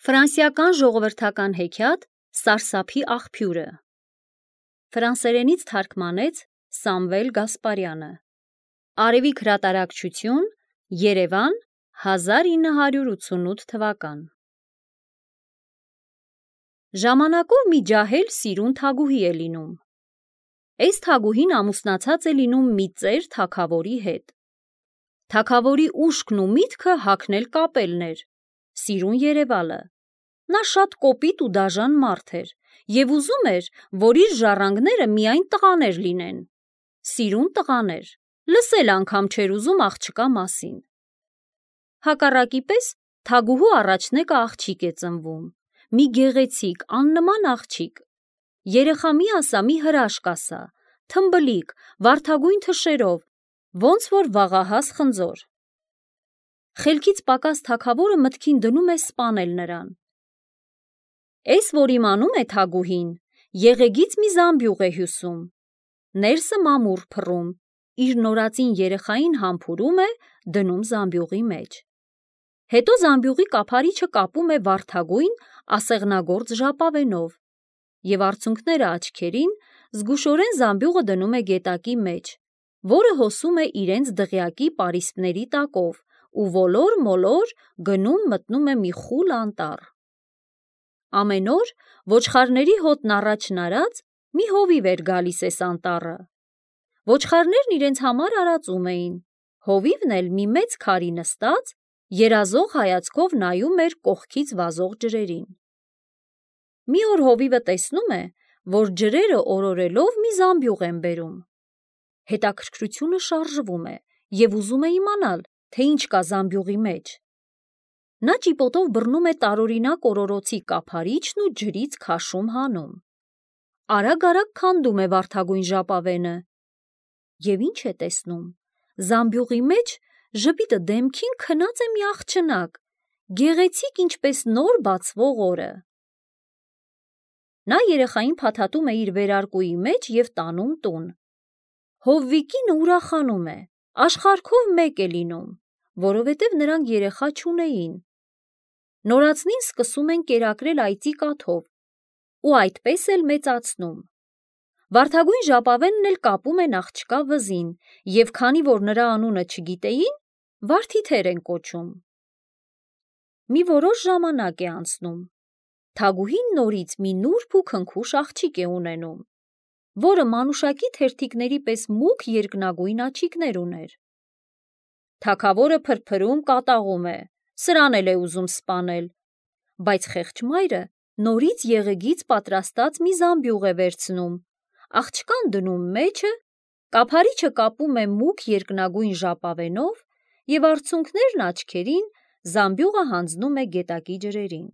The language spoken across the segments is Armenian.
Ֆրանսիական ժողովրդական հեքիաթ «Սարսափի աղբյուրը» ֆրանսերենից թարգմանեց Սամվել Գասպարյանը։ Արևիկ հրատարակչություն, Երևան, 1988 թվական։ Ժամանակով մի ջահել սիրուն թագուհի է լինում։ Այս թագուհին ամուսնացած է լինում մի ծեր թագավորի հետ։ Թագավորի ուշքն ու միտքը հագնել կապելներ, սիրուն երևալը։ Նա շատ կոպիտ ու դաժան մարդ էր և ուզում էր, որ իր ժառանգները միայն տղաներ լինեն։ Սիրուն տղաներ, լսել անգամ չէր ուզում աղջկա մասին։ Հակառակի պես թագուհու առաջնեկը աղջիկ է ծնվում, մի գեղեցիկ, աննման աղջիկ։ Երեխա մի ասա, մի հրաշք ասա, թմբլիկ, վարդագույն թշերով, ոնց որ վաղահաս խնձոր։ Խելքից պակաս թագավորը մտքին դնում է սպանել նրան։ Էս որ իմանում է թագուհին, եղեգից մի զամբյուղ է հյուսում, ներսը մամուռ փռում, իր նորածին երեխային համբուրում է, դնում զամբյուղի մեջ։ Հետո զամբյուղի կափարիչը կապում է վարդագույն ասեղնագործ ժապավենով և արցունքները աչքերին զգուշորեն զամբյուղը դնում է գետակի մեջ, որը հոսում է իրենց դղյակի պարիսպների տակով ու ոլոր-մոլոր գնում մտնում է մի խուլ անտառ։ Ամեն օր ոչխարների հոտն առաջն արած մի հովիվ էր գալիս էս անտառը։ Ոչխարներն իրենց համար արածում էին, հովիվն էլ մի մեծ քարի նստած, երազող հայացքով նայում էր կողքից վազող ջրերին։ Մի օր հովիվը տեսնում է, որ ջրերը օրորելով մի զամբյուղ են բերում։ Հետաքրքրությունը շարժվում է և ուզում է իմանալ, թե ինչ կա զամբյուղի մեջ։ Նա ճիպոտով բռնում է տարօրինակ օրորոցի կափարիչն ու ջրից քաշում հանում։ Արագ-արագ քանդում է վարդագույն ժապավենը։ Եվ ինչ է տեսնում, զամբյուղի մեջ ժպիտը դեմքին քնած է մի աղջնակ, գեղեցիկ ինչպես նոր բացվող օրը։ Նա երեխային փաթաթում է իր վերարկուի մեջ և տանում տուն։ Հովվիկինը ուրախանում է, աշխարհքով մեկ է լինում, որովհետև նրանք երեխա չունեին։ Նորածնին սկսում են կերակրել այծի կաթով ու այդպես էլ մեծացնում։ Վարդագույն ժապավենն էլ կապում են աղջկա վզին և քանի որ նրա անունը չգիտեին, Վարդիթեր են կոչում։ Մի որոշ ժամանակ է անցնում։ Թագուհին նորից մի նուրբ ու քնքուշ աղջիկ է ունենում, որը մանուշակի թերթիկների պես մուգ երկնագույն աչիկներ ուներ։ Թագավորը փրփրում կատաղում է, սրան էլ է ուզում սպանել, բայց խեղճ մայրը նորից եղեգից պատրաստած մի զամբյուղ է վերցնում, աղջկան դնում մեջը, կափարիչը կապում է մուգ երկնագույն ժապավենով և արցունքներն աչքերին զամբյուղը հանձնում է գետակի ջրերին։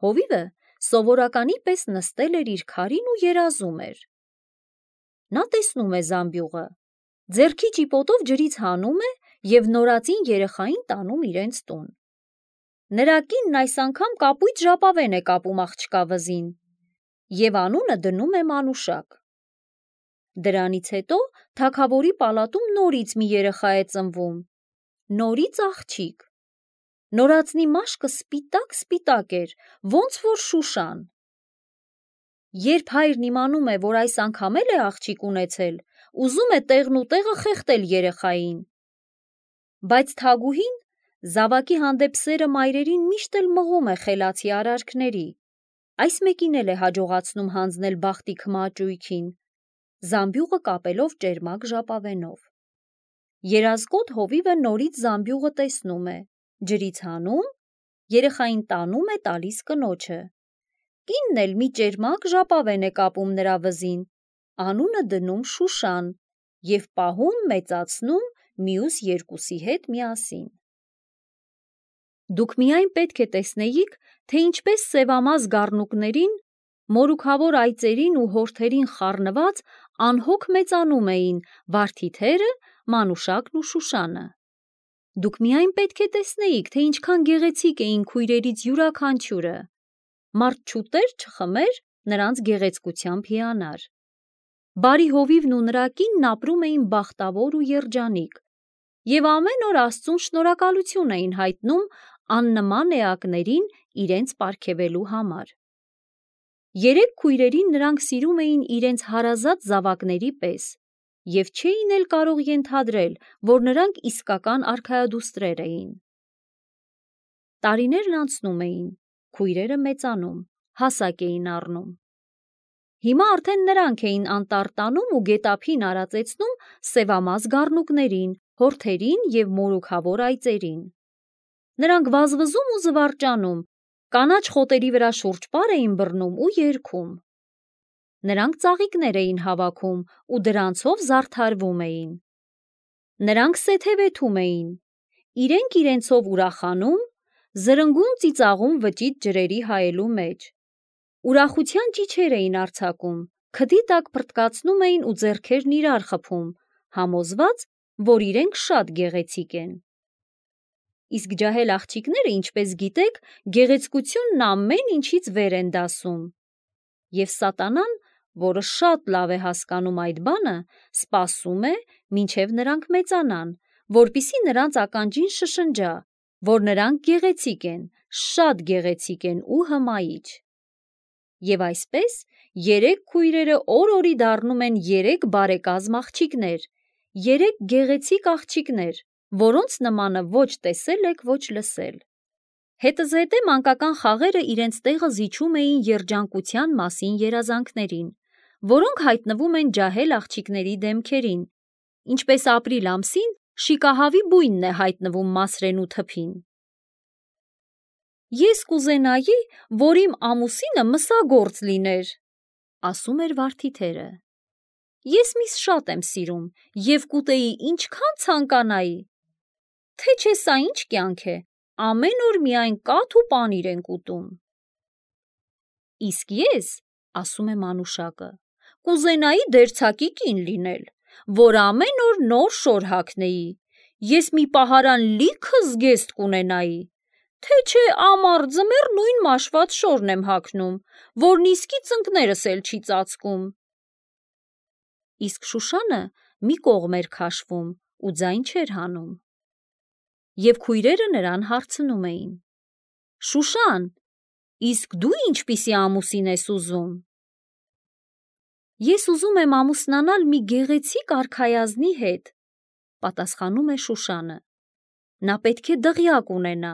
Հովիվը սովորականի պես նստել էր իր քարին ու երազում էր։ Նա տեսնում է զամբյուղը, ձեռքի ճիպոտով ջրից հանում է և նորածին երեխային տանում իրենց տուն։ Նրա կինն այս անգամ կապույտ ժապավեն է կապում աղջկա վզին և անունը դնում է Մանուշակ։ Դրանից հետո թագավորի պալատում նորից մի երեխա է ծնվում, նորից աղջիկ։ Նորածնի մաշկը սպիտակ էր, ոնց որ շուշան։ Երբ հայրն իմանում է, որ այս անգամ էլ է աղջիկ ունեցել, ուզում է տեղն ու տեղը խեղդել երեխային։ Բայց թագուհին զավակի հանդեպ սերը մայրերին միշտ էլ մղում է խելացի արարքների, այս մեկին էլ է հաջողացնում հանձնել բախտի քմաճույքին, զամբյուղը կապելով ճերմակ ժապավենով։ Երազկոտ հովիվը նորից զամբյուղը տեսնում է, ջրից հանում, երեխային տանում է տալիս կնոջը։ Կինն էլ մի ճերմակ ժապավեն է կապում նրա վզին, անունը դնում Շուշան և պահում մեծացնում մյուս երկուսի հետ միասին։ Դուք միայն պետք է տեսնեիք, թե ինչպես սևամազ գառնուկներին, մորուքավոր այծերին ու հորթերին խառնված անհոգ մեծանում էին Վարդիթերը, Մանուշակն ու Շուշանը։ Դուք միայն պետք է տեսնեիք, թե ինչքան գեղեցիկ էին քույրերից յուրաքանչյուրը։ Մարդ չուտեր, չխմեր, նրանց գեղեցկությամբ հիանար։ Բարի հովիվն ու նրա կինն ապրում էին բախտավոր ու երջանիկ և ամեն օր Աստծուն շնորհակալություն էին հայտնում աննման էակներին իրենց պարգևելու համար։ Երեք քույրերին նրանք սիրում էին իրենց հարազատ զավակների պես և չէին էլ կարող ենթադրել, որ նրանք իսկական արքայադուստրեր էին։ Տարիներն անցնում էին, քույրերը մեծանում, հասակ էին առնում։ Հիմա արդեն նրանք էին անտառ տանում ու գետափին արածեցնում սևամազ գառնուկներին, հորթերին և մորուքավոր այծերին։ Նրանք վազվզում ու զվարճանում, կանաչ խոտերի վրա շուրջպար էին բռնում ու երգում։ Նրանք ծաղիկներ էին հավաքում ու դրանցով զարդարվում էին։ Նրանք սեթևեթում էին, իրենք իրենցով ուրախանում, զրնգուն ծիծաղում վճիտ ջրերի հայելու մեջ։ Ուրախության ճիչեր էին արձակում, քդի տակ փռթկացնում էին ու ձեռքերն իրար խփում, համոզված, որ իրենք շատ գեղեցիկ են։ Իսկ ջահել աղջիկները, ինչպես գիտեք, գեղեցկությունն ամեն ինչից վեր են դասում։ Եվ սատանան, որը շատ լավ է հասկանում այդ բանը, սպասում է, մինչև նրանք մեծանան, որպեսզի նրանց ականջին շշնջա, որ նրանք գեղեցիկ են, շատ գեղեցիկ են ու հմայիչ։ Եվ այսպես երեք քույրերը օր-օրի դառնում են երեք բարեկազմ աղջիկներ, երեք գեղեցիկ աղջիկներ, որոնց նմանը ոչ տեսել եք, ոչ լսել։ Հետզհետե մանկական խաղերը իրենց տեղը զիջում էին երջանկության մասին երազանքներին, որոնք հայտնվում են ջահել աղջիկների դեմքերին, ինչպես ապրիլ ամսին շիկահավի բույնն է հայտնվում մասրենու թփին։ Ես կուզենայի, որ իմ ամուսինը մսագործ լիներ, ասում էր վարդիթերը։ Ես միս շատ եմ սիրում և կուտեի ինչքան ցանկանայի։ Թե չէ սա ինչ կյանք է, ամեն օր միայն կաթ ու պանիր ենք ուտում։ Իսկ ես, ասում է մանուշակը, կուզենայի դերձակի կին լինել, որ ամեն օր նոր շոր հագնեի, ես մի պահարան լիքը զգեստ կունենայի, թե չէ ամառ ձմեռ նույն մաշված շորն եմ հագնում, որն իսկի ծնկներս էլ չի ծածկում։ Իսկ Շուշանը մի կողմ էր քաշվում ու ձայն չէր հանում։ Եվ քույրերը նրան հարցնում էին. Շուշան, իսկ դու ինչպիսի ամուսին ես ուզում։ Ես ուզում եմ ամուսնանալ մի գեղեցիկ արքայազնի հետ, պատասխանում է Շուշանը։ Նա պետք է դղյակ ունենա,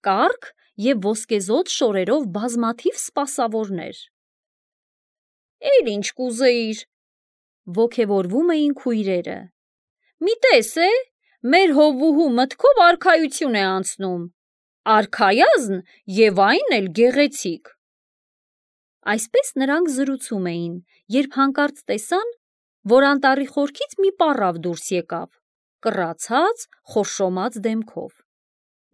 կառք և ոսկեզօծ շորերով բազմաթիվ սպասավորներ։ Էլ ինչ կուզեիր, ոգևորվում էին քույրերը։ Մի տես է, մեր հովվուհու մտքով արքայություն է անցնում, արքայազն և այն էլ գեղեցիկ։ Այսպես նրանք զրուցում էին, երբ հանկարծ տեսան, որ անտառի խորքից մի պառավ դուրս եկավ, կռացած, խորշոմած դեմքով։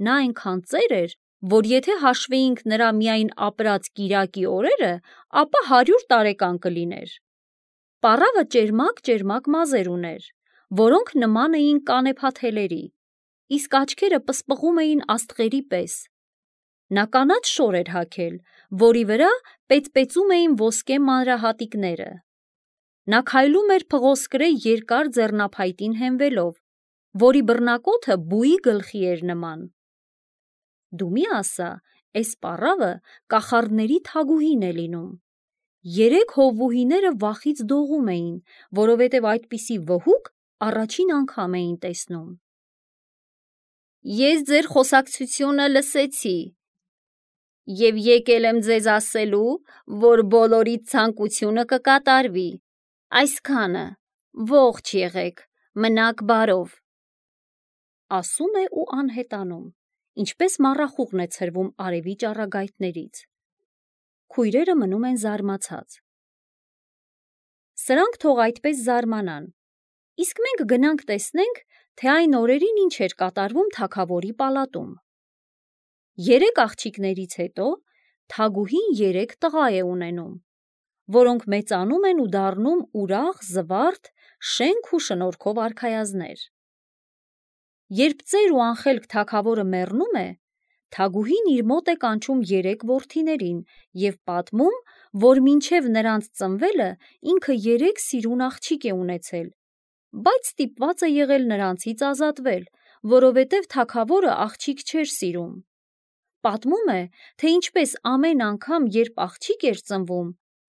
Նա այնքան ծեր էր, որ եթե հաշվեինք նրա միայն ապրած կիրակի օրերը, ապա 100 տարեկան կլիներ։ Պառավը ճերմակ մազեր ուներ, որոնք նման էին կանեփաթելերի, իսկ աչքերը պսպղում էին աստղերի պես։ Նա կանաչ շոր էր հագել, որի վրա պեծպեծում էին ոսկե մանրահատիկները։ Նա քայլում էր փղոսկրե երկար ձեռնափայտին հենվելով, որի բռնակոթը բուի գլխի էր նման։ Դու մի ասա, էս պառավը կախարդների թագուհին է լինում։ Երեք հովվուհիները վախից դողում էին, որովհետև այդպիսի վհուկ առաջին անգամ էին տեսնում։ Ես ձեր խոսակցությունը լսեցի և եկել եմ ձեզ ասելու, որ բոլորիդ ցանկությունը կկատարվի, այսքանը, ողջ եղեք, մնաք բարով, ասում է ու անհետանում, ինչպես մառախուղն է ցրվում արևի ճառագայթներից։ Քույրերը մնում են զարմացած։ Սրանք թող այդպես զարմանան, իսկ մենք գնանք տեսնենք, թե այն օրերին ինչ էր կատարվում թագավորի պալատում։ 3 աղջիկներից հետո թագուհին 3 տղա է ունենում, որոնք մեծանում են ու դառնում ուրախ, զվարթ, շենք ու շնորհքով արքայազններ։ Երբ ծեր ու անխելք թագավորը մեռնում է, թագուհին իր մոտ է կանչում 3 որդիներին և պատմում, որ մինչև նրանց ծնվելը ինքը 3 սիրուն աղջիկ է ունեցել, բայց ստիպված է եղել նրանցից ազատվել, որովհետև թագավորը աղջիկ չէր սիրում։ պատմում է, թե ինչպես ամեն անգամ, երբ աղջիկ էր ծնվում,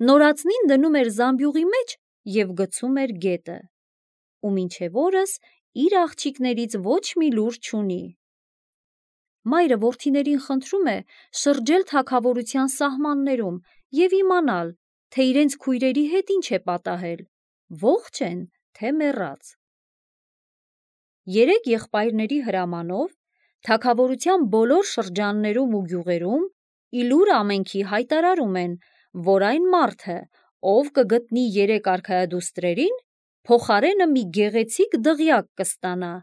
նորածնին դնում էր զամբյուղի մեջ և գցում էր գետը, ու մինչև օրս իր աղջիկներից ոչ մի լուր չունի։ Մայրը որդիներին խնդրում է շրջել թագավորության սահմաններում և իմանալ, թե իրենց քույրերի հետ ինչ է պատահել, ողջ են, թե մեռած։ Երեք եղբայրների հրամանով թագավորության բոլոր շրջաններում ու գյուղերում իլուր ամենքի հայտարարում են, որ այն մարդը, ով կգտնի 3 արքայադուստրերին, փոխարենը մի գեղեցիկ դղյակ կստանա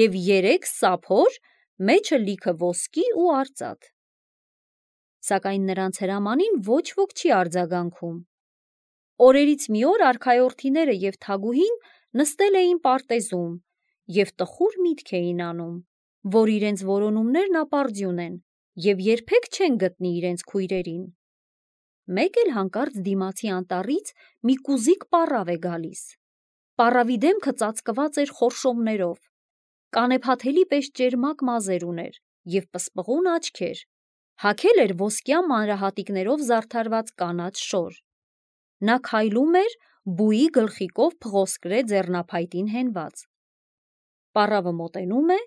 և 3 սափոր, մեջը լիքը ոսկի ու արծաթ։ Սակայն նրանց հրամանին ոչ ոք չի արձագանքում։ Օրերից մի օր արքայորդիները և թագուհին նստել էին պարտեզում և տխուր միտք էին անում, որ իրենց որոնումներն ապարդյուն են և երբեք չեն գտնի իրենց քույրերին։ Մեկ էլ հանկարծ դիմացի անտառից մի կուզիկ պառավ է գալիս։ Պառավի դեմքը ծածկված էր խորշոմներով, կանեփաթելի պես ճերմակ մազեր ուներ և պսպղուն աչքեր, հագել էր ոսկյա մանրահատիկներով զարդարված կանաչ շոր։ Նա քայլում էր բուի գլխիկով փղոսկրե ձեռնափայտին հենված։ Պառավը մոտենում է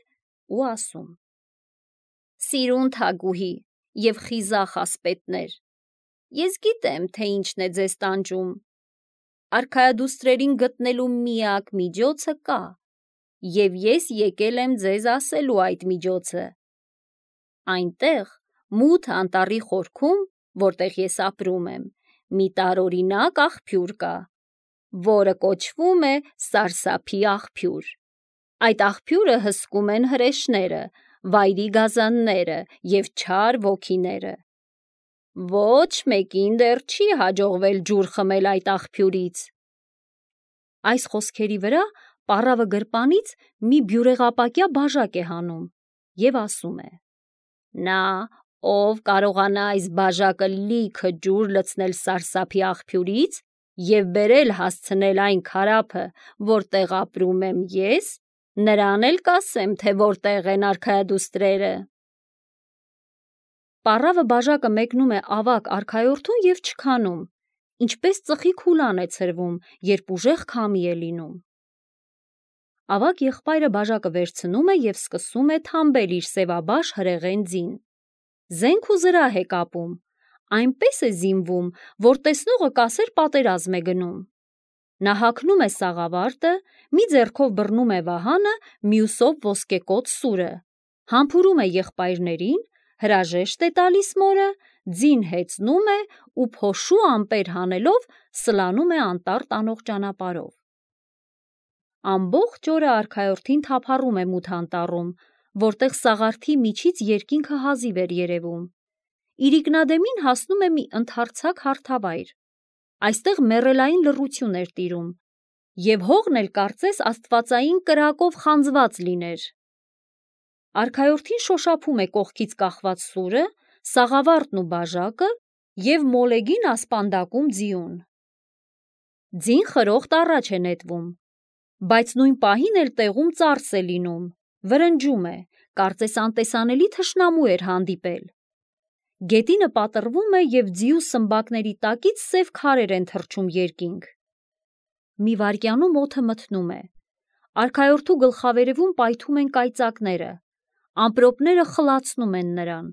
ու ասում. «Սիրուն թագուհի և խիզախ ասպետներ, ես գիտեմ, թե ինչն է ձեզ տանջում։ Արքայադուստրերին գտնելու միակ միջոցը կա, և ես եկել եմ ձեզ ասելու այդ միջոցը։ Այնտեղ, մութ անտառի խորքում, որտեղ ես ապրում եմ, մի տարօրինակ աղբյուր կա, որը կոչվում է Սարսափի աղբյուր։ Այդ աղբյուրը հսկում են հրեշները, վայրի գազանները և չար ոգիները։ Ոչ մեկին դեռ չի հաջողվել ջուր խմել այդ աղբյուրից»։ Այս խոսքերի վրա պառավը գրպանից մի բյուրեղապակյա բաժակ է հանում և ասում է. «Նա, ով կարողանա այս բաժակը լիքը ջուր լցնել Սարսափի աղբյուրից և բերել հասցնել այն քարափը, որտեղ ապրում եմ ես, նրան էլ կասեմ, թե որտեղ են արքայադուստրերը»։ Պառավը բաժակը մեկնում է ավագ արքայորդուն և չքանում, ինչպես ծխի քուլան է ցրվում, երբ ուժեղ քամի է լինում։ Ավագ եղբայրը բաժակը վերցնում է և սկսում է թամբել իր սևաբաշ հրեղեն ձին։ Զենք ու զրահ է կապում, այնպես է զինվում, որ տեսնողը կասեր պատերազմ է գնում։ Նա հագնում է սաղավարտը, մի ձեռքով բռնում է վահանը, մյուսով ոսկեկոծ սուրը, համբուրում է եղբայրներին, հրաժեշտ է տալիս մորը, ձին հեծնում է ու փոշու ամպեր հանելով սլանում է անտառ տանող ճանապարհով։ Ամբողջ օրը արքայորդին թափառում է մութ անտառում, որտեղ սաղարթի միջից երկինքը հազիվ էր երևում։ Իրիկնադեմին հասնում է մի ընդարձակ հարթավայր։ Այստեղ մեռելային լռություն էր տիրում, և հողն էլ կարծես աստվածային կրակով խանձված լիներ։ Արքայորդին շոշափում է կողքից կախված սուրը, սաղավարտն ու բաժակը և մոլեգին ասպանդակում ձիուն։ Ձին խրոխտ առաջ է նետվում, բայց նույն պահին էլ տեղում ծարս է լինում, վրնջում է, կարծես անտեսանելի թշնամու էր հանդիպել։ Գետինը պատռվում է և ձիու սմբակների տակից սև քարեր են թռչում երկինք։ Մի վայրկյանում օդը մթնում է։ Արքայորդու գլխավերևում պայթում են կայծակները, ամպրոպները խլացնում են նրան,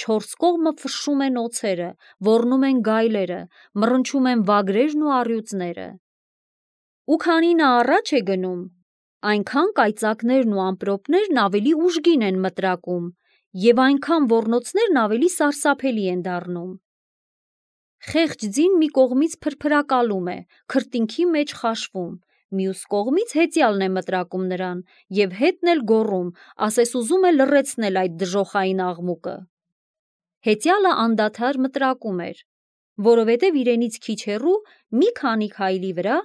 4 կողմը ֆշշում են օձերը, ոռնում են գայլերը, մռնչում են վագրերն ու առյուծները։ Ու քանի նա առաջ է գնում, այնքան կայծակներն ու ամպրոպներն ավելի ուժգին են մտրակում և այնքան ոռնոցներն ավելի սարսափելի են դառնում։ Խեղճ ձին մի կողմից փրփրակալում է, քրտինքի մեջ խաշվում, մյուս կողմից հեծյալն է մտրակում նրան և հետն էլ գոռում, ասես ուզում է լռեցնել այդ դժոխային աղմուկը։ Հեծյալը անդադար մտրակում էր, որովհետև իրենից քիչ հեռու մի քանի քայլի վրա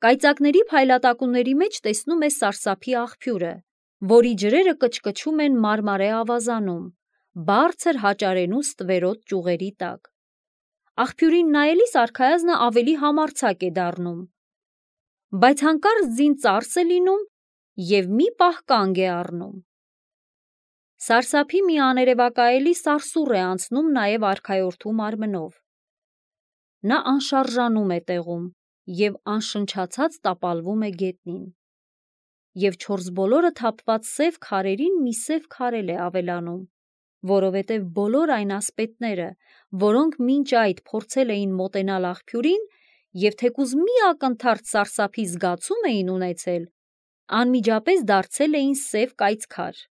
կայծակների փայլատակումների մեջ տեսնում է Սարսափի աղբյուրը, որի ջրերը կչկչում են մարմարե ավազանում, բարձր հաճարենու ստվերոտ ճյուղերի տակ։ Աղբյուրին նայելիս արքայազնը ավելի համարձակ է դառնում, բայց հանկարծ ձին ծարս է լինում և մի պահ կանգ է առնում։ Սարսափի մի աներևակայելի սարսուռ է անցնում նաև արքայորդու մարմնով։ Նա անշարժանում է տեղում և անշնչացած տապալվում է գետնին։ Եվ չորս բոլորը թափված սև քարերին մի սև քարել է ավելանում, որովհետև բոլոր այն ասպետները, որոնք մինչ այդ փորձել էին մոտենալ աղբյուրին և թեկուզ մի ակնթարթ սարսափի զգացում էին ունեցել, անմիջապես դարձել էին սև կայծքար։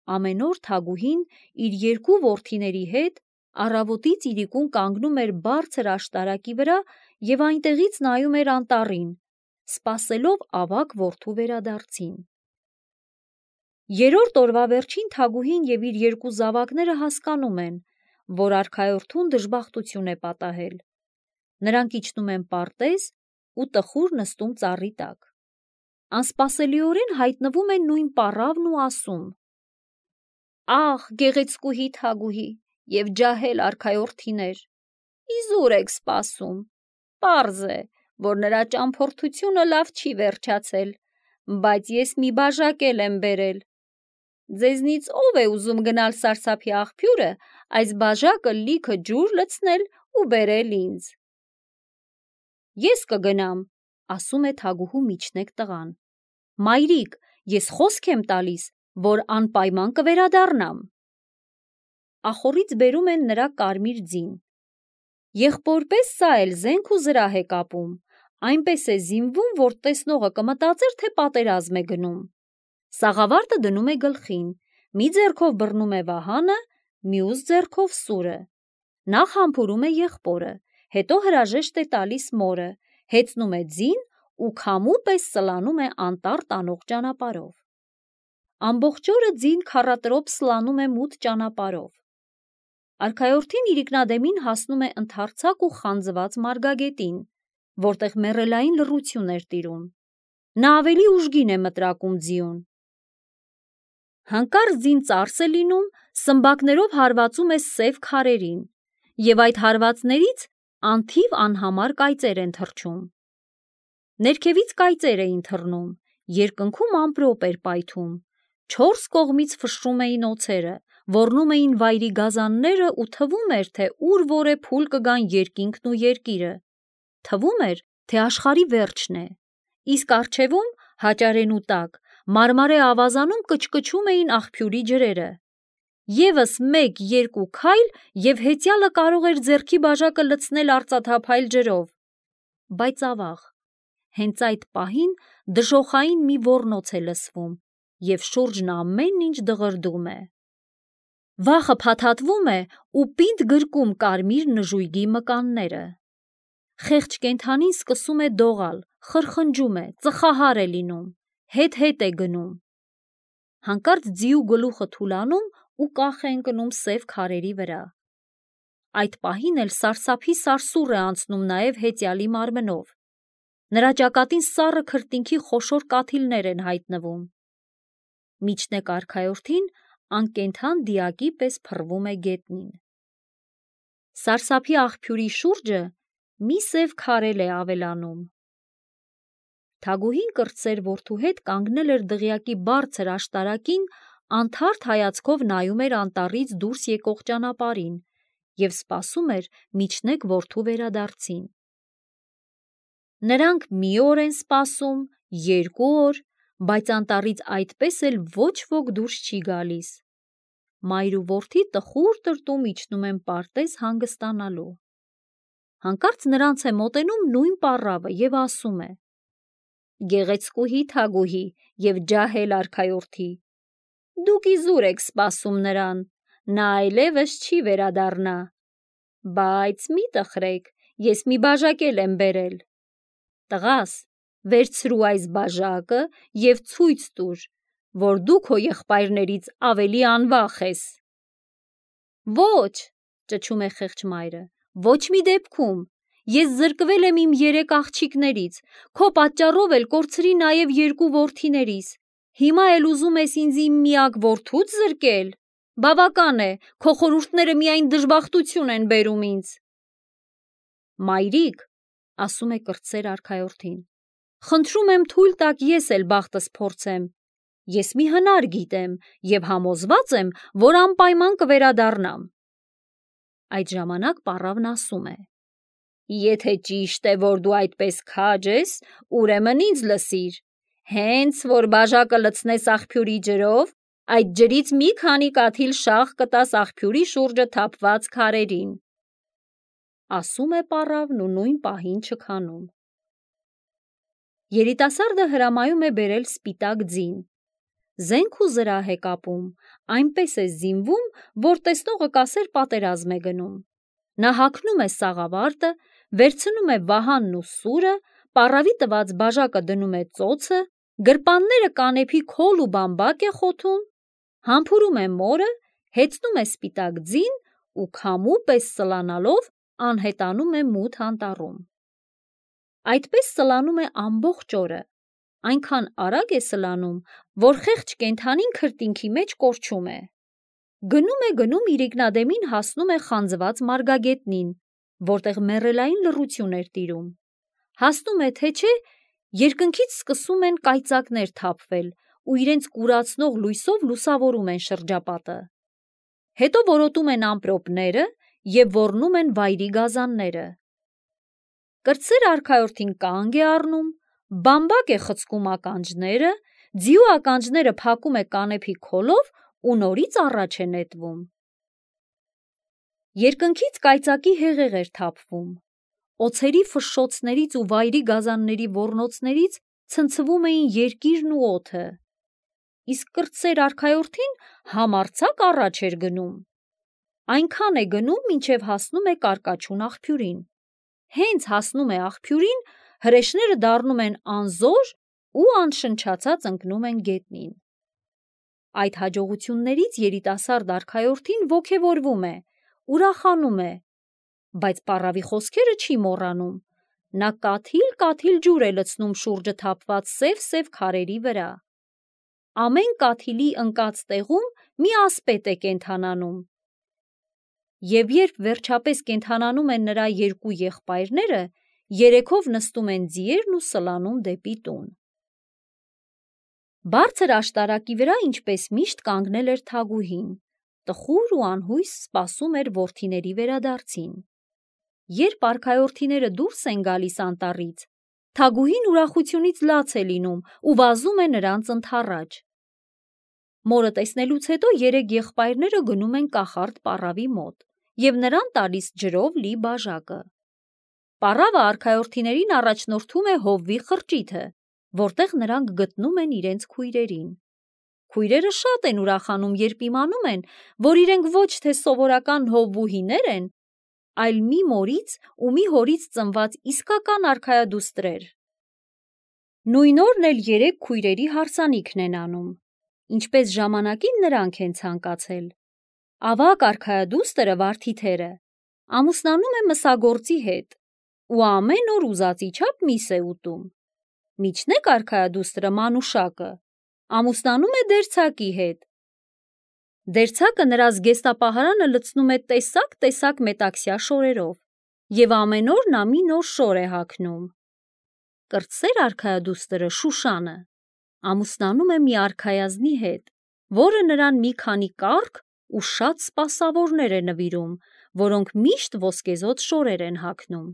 Ամեն օր Թագուհին իր երկու որդիների հետ առավոտից իրիկուն կանգնում էր բարձր աշտարակի վրա և այնտեղից նայում էր անտառին, սպասելով ավագ որդու վերադարձին։ Երրորդ օրվա վերջին Թագուհին և իր երկու զավակները հասկանում են, որ արքայորդուն դժբախտություն է պատահել։ Նրանք իջնում են պարտեզ ու տխուր նստում ծառի տակ։ Անսպասելիորեն հայտնվում է նույն պառավն ու ասում. «Ախ, գեղեցկուհի Թագուհի և ջահել արքայորդիներ, իզուր եք սպասում։ Պարզ է, որ նրա ճամփորդությունը լավ չի վերջացել, բայց ես մի բաժակ էլ եմ բերել։ Ձեզնից ով է ուզում գնալ սարսափի աղբյուրը, այս բաժակը լիքը ջուր լցնել ու բերել ինձ»։ «Ես կգնամ», ասում է Թագուհու միջնեկ տղան։ «Մայրիկ, ես խոսք եմ տալիս, որ անպայման կվերադառնամ»։ Ախոռից բերում են նրա կարմիր ձին։ Եղբոր պես սա էլ զենք ու զրահ է կապում, այնպես է զինվում, որ տեսնողը կմտածեր, թե պատերազմ է գնում։ Սաղավարտը դնում է գլխին, մի ձեռքով բռնում է վահանը, մյուս ձեռքով սուրը։ Նախ համբուրում է եղբորը, հետո հրաժեշտ է տալիս մորը, հեծնում է ձին ու քամու պես սլանում է անտառ տանող ճանապարհով։ Ամբողջ օրը ձին քառատրոփ սլանում է մութ ճանապարհով։ Արքայորդին իրիկնադեմին հասնում է ընդարձակ ու խանձված մարգագետին, որտեղ մեռելային լռություն էր տիրում։ Նա ավելի ուժգին է մտրակում ձիուն։ Հանկարծ ձին ծարս է լինում, սմբակներով հարվածում է սև քարերին, և այդ հարվածներից անթիվ անհամար կայծեր են թռչում։ Ներքևից կայծեր էին թռնում, երկնքում ամպրոպ էր պայթում, չորս կողմից ֆշշում էին օձերը, ոռնում էին վայրի գազանները ու թվում էր, թե ուր որ է փուլ կգան երկինքն ու երկիրը։ Թվում էր, թե աշխարհի վերջն է, իսկ առջևում, հաճարենու տակ, մարմարե ավազանում կչկչում էին աղբյուրի ջրերը։ Եվս մեկ-երկու քայլ, և հեծյալը կարող էր ձեռքի բաժակը լցնել արծաթափայլ ջրով։ Բայց ավաղ, հենց այդ պահին դժոխային մի ոռնոց է լսվում, և շուրջն ամեն ինչ դղրդում է։ Վախը փաթաթվում է ու պինդ գրկում կարմիր նժույգի մկանները։ Խեղճ կենդանին սկսում է դողալ, խրխնջում է, ծխահար է լինում, հետ է գնում։ Հանկարծ ձիու գլուխը թուլանում ու կախ է ընկնում սև քարերի վրա։ Այդ պահին էլ սարսափի սարսուռ է անցնում նաև հեծյալի մարմնով։ Նրա ճակատին սառը քրտինքի խոշոր կաթիլներ են հայտնվում։ Միջնեկ արքայորդին անկենդան դիակի պես փռվում է գետնին։ Սարսափի աղբյուրի շուրջը մի սև քարել է ավելանում։ Թագուհին կրտսեր որդու հետ կանգնել էր դղյակի բարձր աշտարակին, անթարթ հայացքով նայում էր անտառից դուրս եկող ճանապարհին և սպասում էր միջնեկ որդու վերադարձին։ Նրանք մի օր են սպասում, երկու օր, բայց անտառից այդպես էլ ոչ ոք դուրս չի գալիս։ Մայր ու որդի տխուր տրտում իջնում են պարտեզ հանգստանալու։ Հանկարծ նրանց է մոտենում նույն պառավը և ասում է. «Գեղեցկուհի Թագուհի և ջահել արքայորդի, դուք իզուր եք սպասում նրան, նա այլևս չի վերադառնա։ Բայց մի տխրեք, ես մի բաժակ էլ եմ բերել։ Տղաս, վերցրու այս բաժակը և ցույց տուր, որ դու քո եղբայրներից ավելի անվախ ես»։ «Ոչ», ճչում է խեղճ մայրը, «ոչ մի դեպքում։ Ես զրկվել եմ իմ երեք աղջիկներից, քո պատճառով էլ կորցրի նաև երկու որդիներիս, հիմա էլ ուզում ես ինձ իմ միակ որդուց զրկել։ Բավական է, քո խորհուրդները միայն դժբախտություն են բերում ինձ»։ «Մայրիկ», ասում է կրտսեր արքայորդին, «խնդրում եմ թույլ տաք ես էլ բախտս փորձեմ։ Ես մի հնար գիտեմ և համոզված եմ, որ անպայման կվերադառնամ։ Այդ ժամանակ պառավն ասում է. Եթե ճիշտ է, որ դու այդպես քաջ ես, ուրեմն ինձ լսիր, հենց որ բաժակը լցնես աղբյուրի ջրով, այդ ջրից մի քանի կաթիլ շաղ կտաս աղբյուրի շուրջը թափված քարերին։ Ասում է պառավն ու նույն պահին չքանում։ Երիտասարդը հրամայում է բերել սպիտակ ձին։ Զենք ու զրահ է կապում, այնպես է զինվում, որ տեսնողը կասեր պատերազմ է գնում։ Նա հագնում է սաղավարտը, վերցնում է վահանն ու սուրը, պառավի տված բաժակը դնում է ծոցը, գրպանները կանեփի քոլ ու բամբակ է խոթում, համբուրում է մորը, հեծնում է սպիտակ ձին ու քամու պես սլանալով անհետանում է մութ անտառում։ Այդպես սլանում է ամբողջ օրը, այնքան արագ է սլանում, որ խեղճ կենդանին քրտինքի մեջ կորչում է։ Գնում իրիկնադեմին հասնում է խանձված մարգագետնին, որտեղ մեռելային լռություն էր տիրում։ Հասնում է, թե չէ, երկնքից սկսում են կայծակներ թափվել ու իրենց կուրացնող լույսով լուսավորում են շրջապատը։ Հետո որոտում են ամպրոպները և ոռնում են վայրի գազանները։ Կրտսեր արքայորդին կանգ է առնում, բամբակ է խցկում ականջները, ձիու ականջները փակում է կանեփի քոլով ու նորից առաջ է նետվում։ Երկնքից կայծակի հեղեղ էր թափվում, օձերի ֆշշոցներից ու վայրի գազանների ոռնոցներից ցնցվում էին երկիրն ու օդը, իսկ կրտսեր արքայորդին համարձակ առաջ էր գնում։ Այնքան է գնում, մինչև հասնում է կարկաչուն աղբյուրին։ Հենց հասնում է աղբյուրին, հրեշները դառնում են անզոր ու անշնչացած ընկնում են գետնին։ Այդ հաջողություններից երիտասարդ արքայորդին ոգևորվում է, ուրախանում է, բայց պառավի խոսքերը չի մոռանում։ Նա կաթիլ ջուր է լցնում շուրջը թափված սև քարերի վրա։ Ամեն կաթիլի ընկած տեղում մի ասպետ է կենդանանում։ Եվ երբ վերջապես կենդանանում են նրա երկու եղբայրները, երեքով նստում են ձիերն ու սլանում դեպի տուն։ Բարձր աշտարակի վրա, ինչպես միշտ, կանգնել էր Թագուհին, տխուր ու անհույս սպասում էր որդիների վերադարձին։ Երբ արքայորդիները դուրս են գալիս անտառից, Թագուհին ուրախությունից լաց է լինում ու վազում է նրանց ընդառաջ։ Մորը տեսնելուց հետո երեք եղբայրները գնում են կախարդ պառավի մոտ և նրան տալիս ջրով լի բաժակը։ Պառավը արքայորդիներին առաջնորդում է հովվի խրճիթը, որտեղ նրանք գտնում են իրենց քույրերին։ Քույրերը շատ են ուրախանում, երբ իմանում են, որ իրենք ոչ թե սովորական հովվուհիներ են, այլ մի մորից ու մի հորից ծնված իսկական արքայադուստրեր։ Նույն օրն էլ երեք քույրերի հարսանիքն են անում, ինչպես ժամանակին նրանք են ցանկացել։ Ավագ արքայադուստրը Վարդիթերը ամուսնանում է մսագործի հետ ու ամեն օր ուզածի չափ միս է ուտում։ Միջնեկ արքայադուստրը Մանուշակը ամուսնանում է դերձակի հետ։ Դերձակը նրա զգեստապահարանը լցնում է տեսակ մետաքսյա շորերով և ամեն օր նա մի նոր շոր է հագնում։ Կրտսեր արքայադուստրը Շուշանը ամուսնանում է մի արքայազնի հետ, որը նրան մի քանի կառք ու շատ սպասավորներ է նվիրում, որոնք միշտ ոսկեզօծ շորեր են հագնում։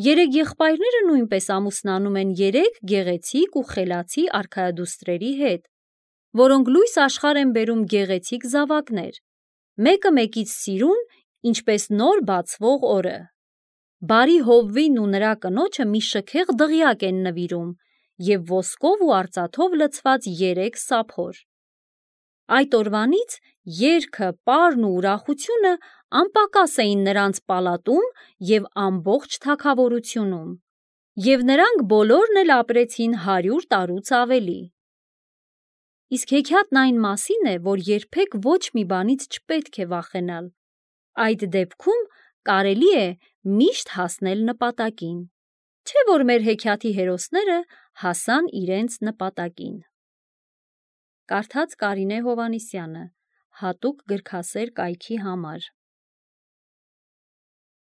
Երեք եղբայրները նույնպես ամուսնանում են երեք գեղեցիկ ու խելացի արքայադուստրերի հետ, որոնք լույս աշխարհ են բերում գեղեցիկ զավակներ, մեկը մեկից սիրուն, ինչպես նոր բացվող օրը։ Բարի հովվին ու նրա կնոջը մի շքեղ դղյակ են նվիրում և ոսկով ու արծաթով լցված երեք սափոր։ Այդ օրվանից երգը, պարն ու ուրախությունը անպակաս էին նրանց պալատում և ամբողջ թագավորությունում, և նրանք բոլորն էլ ապրեցին 100 տարուց ավելի։ Իսկ հեքիաթն այն մասին է, որ երբեք ոչ մի բանից չպետք է վախենալ։ Այդ դեպքում կարելի է միշտ հասնել նպատակին։ Չէ՞ որ մեր հեքիաթի հերոսները հասան իրենց նպատակին։ Կարդաց Կարինե Հովհաննիսյանը, հատուկ գրքասեր կայքի համար։